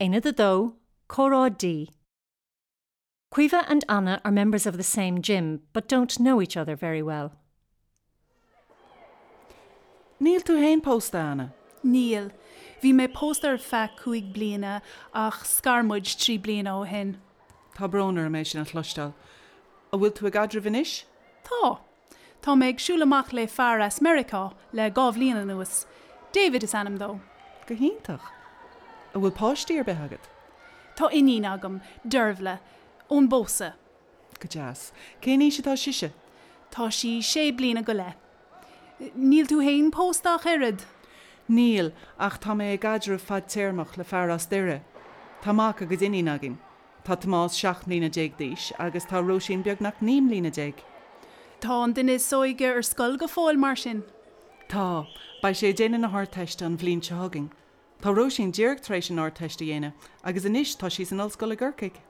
Aonad 2, Comhrá D. Caoimhe and Anna are members of the same gym but don't know each other very well. Níl tú féin pósta, a Anna? Níl. Bhí mé pósta ar feadh 5 bliana ach scar muid 3 bliana ó shin. Tá brón orm é sin a chloisteáil. An bhfuil tú i gcaidreamh anois? Tá. Tá mé ag siúl amach le fear as Meiriceá le 2 bhliain anuas. David is ainm dó. Go hiontach. An bhfuil páistí ar bith agat? Tá iníon agam, Dervla, ón bpósadh. Go deas. Cén aois atá sise? Tá sí sé bliana go leith. Níl tú fhéin pósta ach oiread? Níl, ach tá mé i gcaidreamh fadtéarmach le fear as Doire. Tá mac agus iníon againn. Tá Tomás 17 mbliana d'aois agus tá Róisín beagnach 19 mbliana. Tá an duine is óige ar scoil go fóill, mar sin? Tá. Beidh sé ag déanamh na hArdteiste an bhliain seo chugainn. Tá Róisín díreach tar éis an Ardteist a dhéanamh agus anois tá sí san ollscoil i gCorcaigh.